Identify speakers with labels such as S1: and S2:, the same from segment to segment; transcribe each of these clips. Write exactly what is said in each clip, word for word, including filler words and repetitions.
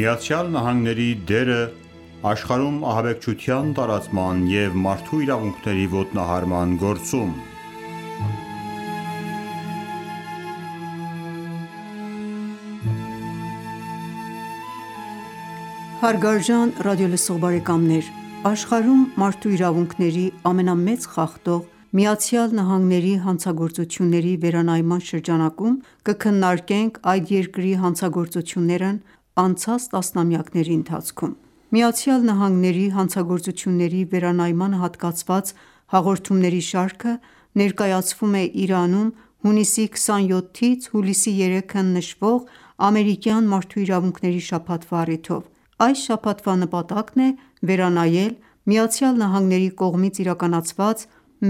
S1: Միացյալ Նահանգների դերը աշխարհում ահաբեկչության տարածման և մարդու իրավունքների ոտնահարման գործում
S2: Հարգարժան ռադիոլսող բարեկամներ, աշխարհում մարդու իրավունքների ամենամեծ խախտող ԱՄՆ-ի հանցագործությունների վերանայման շրջանակում կքննարկենք այդ երկրի հանցագործություններն անցած տասնամյակների ընթացքում: ԱՄՆ-ի հանցագործությունների վերանայմանը հատկացված հաղորդումների շարքը ներկայացվում է Իրանում հունիսի քսանյոթից հուլիսի երեքը նշվող ամերիկյան մարդու իրավունքների շաբաթվա առիթով: Այս շաբաթվա նպատակն է վերանայել ԱՄՆ-ի կողմից իրականացված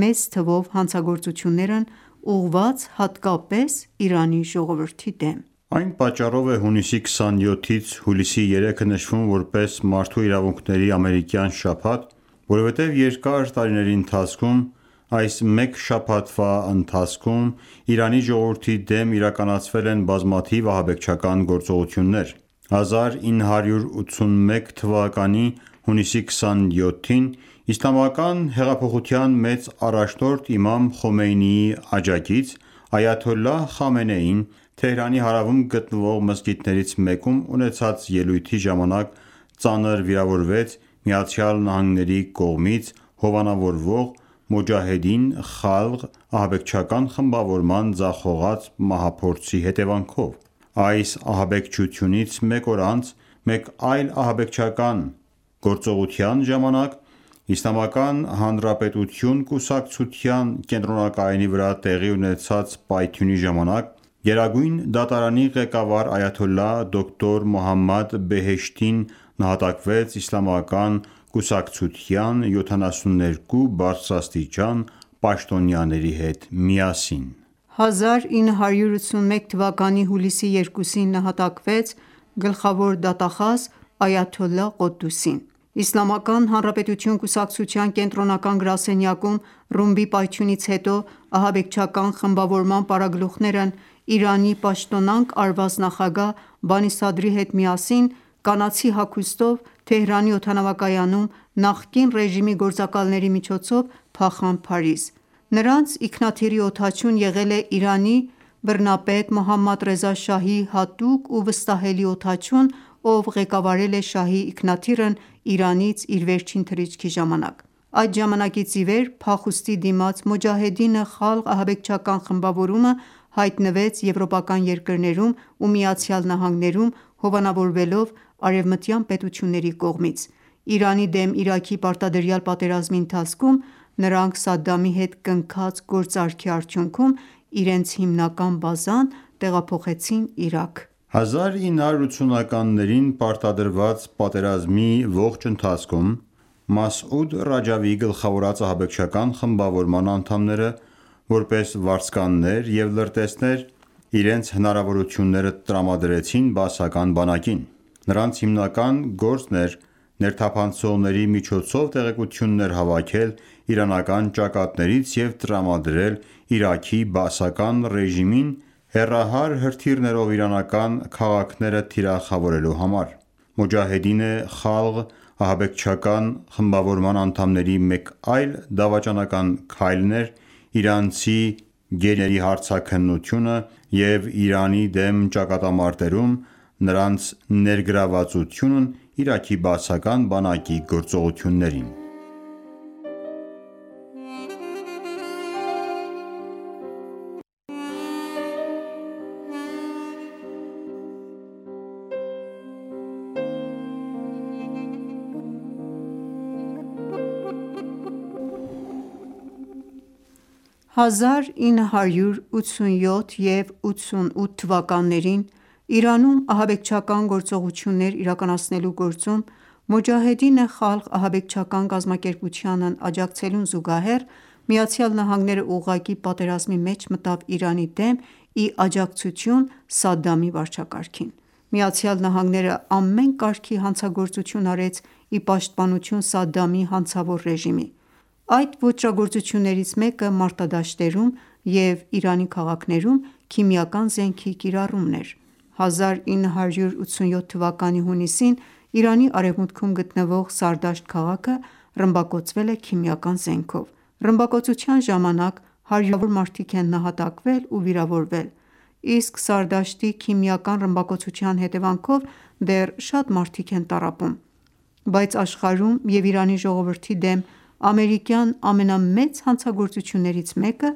S2: մեծ թվով հանցագործություններն ուղղված հատկապես Իրանի ժողովրդի դեմ:
S1: Այն պատճառով է հունիսի քսանյոթից հուլիսի երեքը նշվում որպես Մարդու իրավունքների ամերիկյան շաբաթ, որովհետև երկար տարիների ընթացքում այս մեկ շաբաթվա ընթացքում Իրանի ժողովրդի դեմ իրականացվել են բազմաթիվ ահաբեկչական գործողություններ: հազար ինը հարյուր ութսունմեկ թվականի հունիսի քսանյոթին Իսլամական հեղափոխության մեծ առաջնորդ իմամ Խոմեյնիի աջակից այաթոլլահ Խամենեին Թեհրանի հարավում գտնվող մզկիթներից մեկում ունեցած ելույթի ժամանակ ծանր վիրավորվեց ԱՄՆ-ի կողմից հովանավորվող Մոջահեդին Խալղ ահաբեկչական խմբավորման ձախողած մահափորձի հետևանքով: Այս ահաբեկչությունից մեկ օր անց մեկ այլ ահաբեկչական գործողության ժամանակ Իսլամական Հանրապետություն կուսակցության կենտրոնակայանի վրա տեղի ունեցած պայթյունի ժամանակ Գերագույն դատարանի ղեկավար այաթոլլահ դոկտոր Մոհամմադ Բեհեշթին նահատակվեց իսլամական կուսակցության յոթանասուններկու բարձրաստիճան պաշտոնյաների հետ միասին:
S2: հազար ինը հարյուր ութսունմեկ թվականի հուլիսի երկուսին նահատակվեց գլխավոր դատախազ այաթոլլահ Ղոդդուսին: Իսլամական Հանրապետություն կուսակցության կենտրոնական գրասենյակում ռումբի պայթյունից հետո ահաբեկչական խմբավորման պարագլուխներն Իրանի պաշտոնանկ արված նախագահ Բանի Սադրի հետ միասին կանացի հագուստով Թեհրանի օդանավակայանում նախկին ռեժիմի գործակալների միջոցով փախան Փարիզ: Նրանց ինքնաթիռի օդաչուն եղել է Իրանի բռնապետ Մոհամմադ Ռեզա շահի հատուկ ու վստահելի օդաչուն, ով ղեկավարել է շահի ինքնաթիռն Իրանից իր վերջին թռիչքի ժամանակ: Այդ ժամանակից ի վեր փախուստի դիմաց Մոջահեդին Խալղ ահաբեկչական խմբավորումը հայտնվեց եվրոպական երկրներում ու ԱՄՆ-ում հովանավորվելով արևմտյան պետությունների կողմից: Իրանի դեմ Իրաքի պարտադրյալ պատերազմի ընթացքում նրանք Սադամի հետ կնքած գործարքի արդյունքում իրենց հիմնական բազան տեղափոխեցին Իրաք:
S1: հազար ինը հարյուր ութսունականներին պարտադրված պատերազմի ողջ ընթացքում Մասուդ Ռաջավիի գլխավորած ահաբեկչական խմբավորման անդամները որպես վարձկաններ և լրտեսներ իրենց հնարավորությունները տրամադրեցին բաասական բանակին: Նրանց հիմնական գործն էր ներթափանցողների միջոցով տեղեկություններ հավաքել իրանական ճակատներից և տրամադրել Իրաքի բաասական ռեժիմին հեռահար հրթիռներով իրանական քաղաքները թիրախավորելու համար: Մոջահեդին Խալղ ահաբեկչական խմբավորման անդամների մեկ այլ դավաճանական քայլն էր իրանցի գերիների հարցաքննությունը և Իրանի դեմ ճակատամարտերում նրանց ներգրավվածությունն Իրաքի բաասական բանակի գործողություններին:
S2: հազար ինը հարյուր ութսունյոթ և ութսունութ թվականներին Իրանում ահաբեկչական գործողություններ իրականացնելու գործում Մոջահեդին Խալղ ահաբեկչական կազմակերպությանն աջակցելուն զուգահեռ ԱՄՆ-ն ուղղակի պատերազմի մեջ մտավ Իրանի դեմ ի աջակցություն Սադամի վարչակարգին: ԱՄՆ-ն ամեն կարգի հանցագործություն արեց ի պաշտպանություն Սադամի հանցավոր ռեժիմի: Այդ ոճրագործություններից մեկը մարտադաշտերում և Իրանի քաղաքներում քիմիական զենքի կիրառումն էր: հազար ինը հարյուր ութսունյոթ թվականի հունիսին Իրանի արևմուտքում գտնվող Սարդաշտ քաղաքը ռմբակոծվել է քիմիական զենքով։ Ռմբակոծության ժամանակ հարյուրավոր մարդիկ են նահատակվել ու վիրավորվել, իսկ Սարդաշտի քիմիական ռմբակոծության հետևանքով դեռ շատ մարդիկ են տառապում։ Բայց աշխարհում և Իրանի ժողովրդի դեմ ամերիկյան ամենամեծ հանցագործություններից մեկը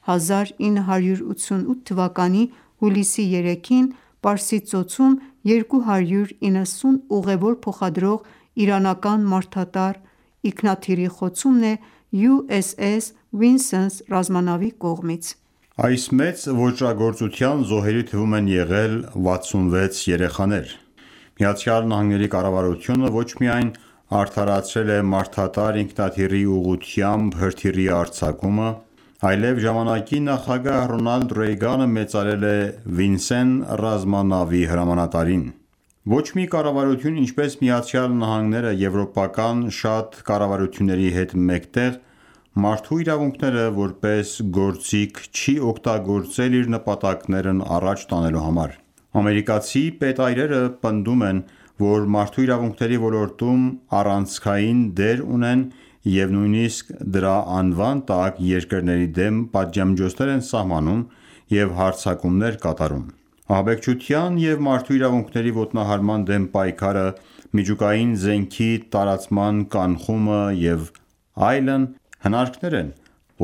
S2: հազար ինը հարյուր ութսունութ թվականի հուլիսի երեքին Պարսից ծոցում երկու հարյուր իննսուն ուղեւոր փոխադրող իրանական մարդատար ինքնաթիռի խոցումն է յու էս էս Վինսենս ռազմանավի կողմից։
S1: Այս մեծ ոճրագործության զոհերի թվում են եղել վաթսունվեց երեխաներ։ ԱՄՆ կառավարությունը ոչ միայն արդարացրել է մարդատար ինքնաթիռի ուղղությամբ հրթիռի արձակումը, այլև ժամանակի նախագահ Ռոնալդ Ռեյգանը մեծարել է Վինսեն ռազմանավի հրամանատարին։ Ոչ մի կառավարություն, ինչպես ԱՄՆ-ը եվրոպական շատ կառավարությունների հետ մեկտեղ, մարդու իրավունքները որպես գործիք չի օգտագործել իր նպատակներն առաջ տանելու համար։ Ամերիկացի պետայրերը պնդում են, որ մարդու իրավունքների ոլորտում առանցքային դեր ունեն և նույնիսկ դրա անվան տակ երկրների դեմ պատժամիջոցներ են սահմանում և հարձակումներ կատարում։ Ահաբեկչության և մարդու իրավունքների ոտնահարման դեմ պայքարը, միջուկային զենքի տարածման կանխումը և այլն հնարքներ են,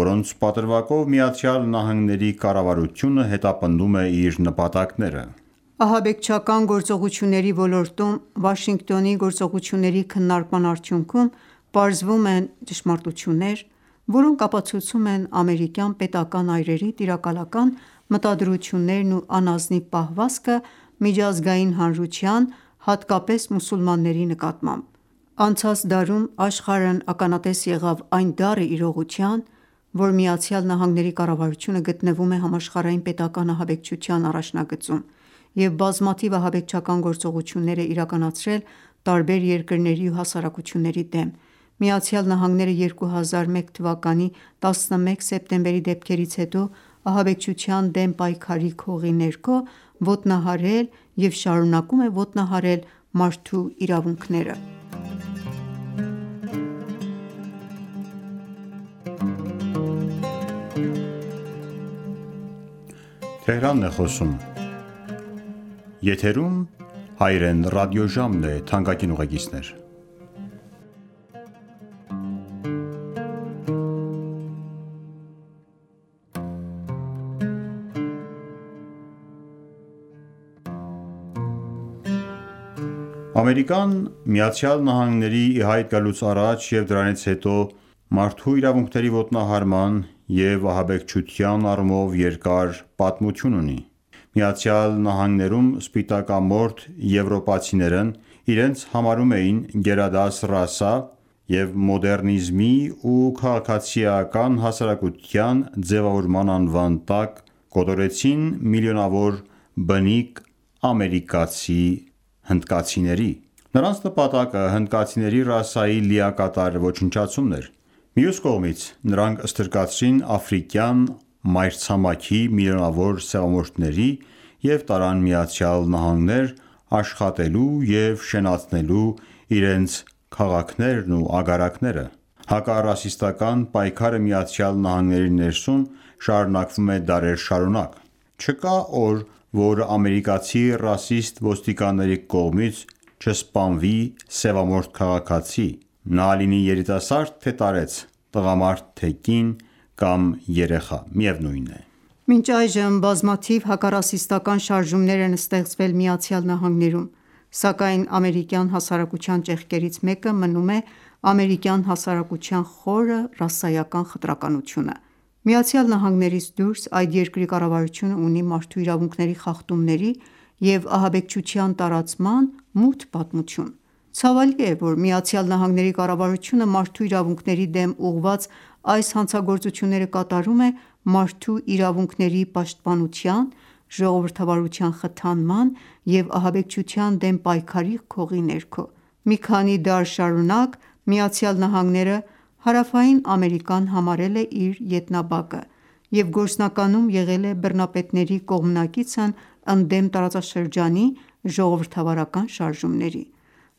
S1: որոնց պատրվակով ԱՄՆ կառավարությունը հետապնդում է իր նպատակները։
S2: Ահաբեկչական գործողությունների ոլորտում Վաշինգտոնի գործողությունների քննարկման արդյունքում պարզվում են ճշմարտություններ, որոնք ապացուցում են ամերիկյան պետական այրերի տիրակալական մտադրություններն ու անազնիվ պահվածքը միջազգային հանրության, հատկապես մուսուլմանների նկատմամբ։ Անցած դարում աշխարհն ականատես եղավ այն դառը իրողության, որ ԱՄՆ կառավարությունը գտնվում է համաշխարհային պետական ահաբեկչության առաջնագծում և բազմաթիվ ահաբեկչական գործողություններ է իրականացրել տարբեր երկրների ու հասարակությունների դեմ։ ԱՄՆ-ը երկու հազար մեկ թվականի տասնմեկ սեպտեմբերի դեպքերից հետո ահաբեկչության դեմ պայքարի քողի ներքո ոտնահարել և շարունակում է ոտնահարել մարդու իրավունքները։
S1: Ամերիկան ԱՄՆ-ի ի հայտ գալուց առաջ և դրանից հետո մարդու իրավունքների ոտնահարման և ահաբեկչության առումով երկար պատմություն ունի։ ԱՄՆ-ում սպիտակամորթ եվրոպացիներն իրենց համարում էին գերադաս ռասա և մոդեռնիզմի ու քաղաքացիական հասարակության ձևավորման անվան տակ կոտորեցին միլիոնավոր բնիկ ամերիկացի հնդկացիների։ Նրանց նպատակը հնդկացիների ռասայի լիակատար ոչնչացումն էր։ Մյուս կողմից, նրանք ստրկացրին աֆրիկյան մայրցամաքի միլիոնավոր սևամորթների և տարան ԱՄՆ աշխատելու և շենացնելու իրենց քաղաքներն ու ագարակները։ Հակառասիստական պայքարը ԱՄՆ-ի ներսում շարունակվում է դարեր շարունակ։ Չկա օր, որ ամերիկացի ռասիստ ոստիկանների կողմից չսպանվի սևամորթ քաղաքացի, նա լինի երիտասարդ թե տարեց, տղամարդ թե կին կամ երեխա, միևնույն է։
S2: Մինչ այժմ բազմաթիվ հակառասիստական շարժումներ են ստեղծվել ԱՄՆ-ում, սակայն ամերիկյան հասարակության ճեղքերից մեկը մնում է ամերիկյան հասարակության խորը ռասայական խտրականությունը։ ԱՄՆ-ից դուրս այդ երկրի կառավարությունը ունի մարդու իրավունքների խախտումների և ահաբեկչության տարածման մութ պատմություն։ Ցավալի է, որ ԱՄՆ կառավարությունը մարդու իրավունքների դեմ ուղղված այս հանցագործությունները կատարում է մարդու իրավունքների պաշտպանության, ժողովրդավարության խթանման և ահաբեկչության դեմ պայքարի քողի ներքո։ Մի քանի դար շարունակ ԱՄՆ-ը Հարավային Ամերիկան համարել է իր ետնաբակը և գործնականում եղել է բռնապետների կողմնակիցն ընդդեմ տարածաշրջանի ժողովրդավարական շարժումների: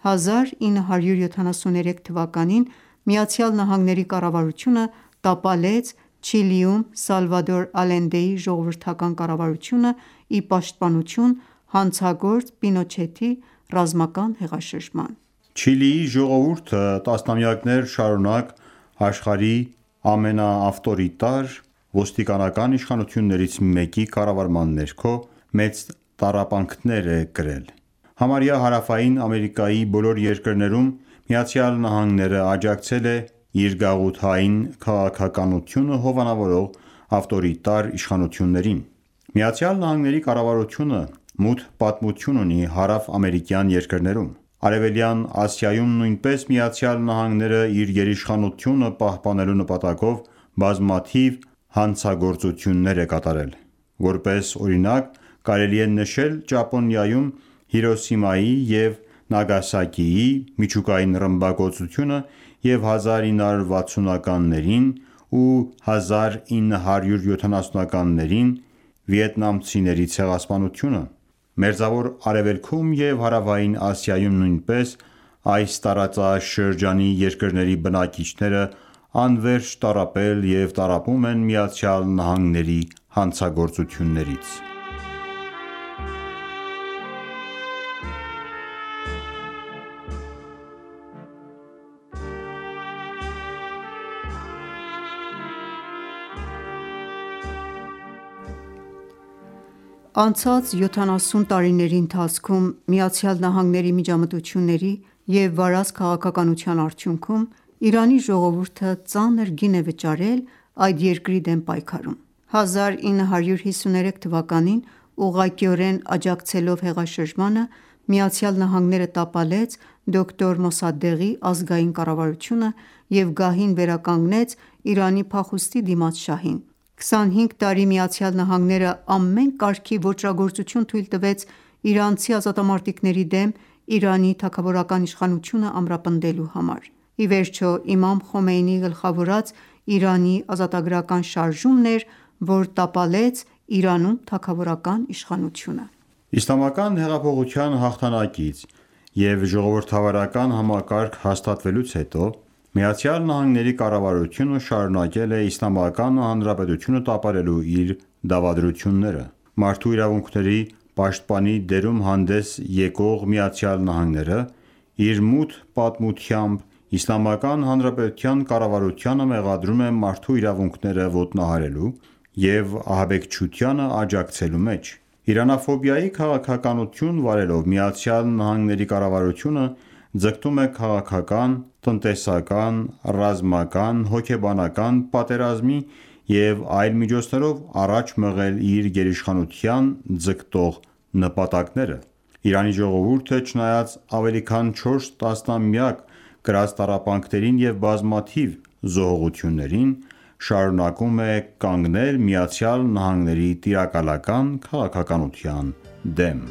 S2: հազար ինը հարյուր յոթանասուներեք թվականին ԱՄՆ կառավարությունը տապալեց Չիլիում Սալվադոր Ալենդեի ժողովրդական կառավարությունը ի պաշտպանություն հանցագործ Պինոչետի ռազմական հեղաշրջման:
S1: Չիլիի ժողովուրդը տասնամյակներ շարունակ աշխարհի ամենաավտորիտար ոստիկանական իշխանություններից մեկի կառավարման ներքո մեծ տառապանքներ է կրել: Համարյա Հարավային Ամերիկայի բոլոր երկրներում ԱՄՆ-ն աջակցել է իր գաղութային քաղաքականությունը հովանավորող ավտորիտար իշխանություններին: ԱՄՆ կառավարությունը մութ պատմություն ունի հարավ-ամերիկյան երկրներում: Արևելյան Ասիայում նույնպես ԱՄՆ-ն իր գերիշխանությունը պահպանելու նպատակով բազմաթիվ հանցագործություններ է կատարել: Որպես օրինակ կարելի է նշել Ճապոնիայում Հիրոսիմայի և Նագասակիի միջուկային ռմբակոծությունը և հազար ինը հարյուր վաթսունականներին ու հազար ինը հարյուր յոթանասունականներին վիետնամցիների ցեղասպանությունը: Մերձավոր Արևելքում և Հարավային Ասիայում նույնպես այս տարածաշրջանի երկրների բնակիչները անվերջ տառապել և տառապում են ԱՄՆ հանցագործություններից:
S2: Անցած յոթանասուն տարիների ընթացքում ԱՄՆ միջամտությունների և վարած քաղաքականության արդյունքում Իրանի ժողովուրդը ծանր գին է վճարել այդ երկրի դեմ պայքարում: հազար ինը հարյուր հիսուներեք թվականին ուղղակիորեն աջակցելով հեղաշրջմանը ԱՄՆ-ն տապալեց դոկտոր Մոսադեղի ազգային կառավարությունը և գահին վերականգնեց Իրանի փախուստի դիմաց շահին: քսանհինգ տարի ԱՄՆ-ն ամեն կարգի ոճրագործություն թույլ տվեց իրանցի ազատամարտիկների դեմ Իրանի թագավորական իշխանությունը ամրապնդելու համար: Ի վերջո իմամ Խոմեյնիի գլխավորած Իրանի ազատագրական շարժումն էր, որ տապալեց Իրանում թագավորական իշխանությունը:
S1: Իսլամական հեղափոխության հաղթանակից և ժողովրդավարական համակարգ հաստատվելուց հետո ԱՄՆ կառավարությունը շարունակել է Իսլամական Հանրապետությունը տապալելու իր դավադրությունները: Մարդու իրավունքների պաշտպանի դերում հանդես եկող ԱՄՆ-ն իր մութ պատմությամբ Իսլամական Հանրապետության կառավարությանը մեղադրում է մարդու իրավունքները ոտնահարելու և ահաբեկչությանը աջակցելու մեջ: Իրանաֆոբիայի քաղաքականություն վարելով ԱՄՆ կառավարությունը ձգտում է քաղաքական, տնտեսական, ռազմական, հոգեբանական, պատերազմի և այլ միջոցներով առաջ մղել իր գերիշխանության ձգտող նպատակները: Իրանի ժողովուրդը չնայած ավելի քան չորս տասնամյակ կրած տառապանքներին և բազմաթիվ զոհողություններին շարունակում է կանգնել ԱՄՆ տիրակալական քաղաքականության դեմ: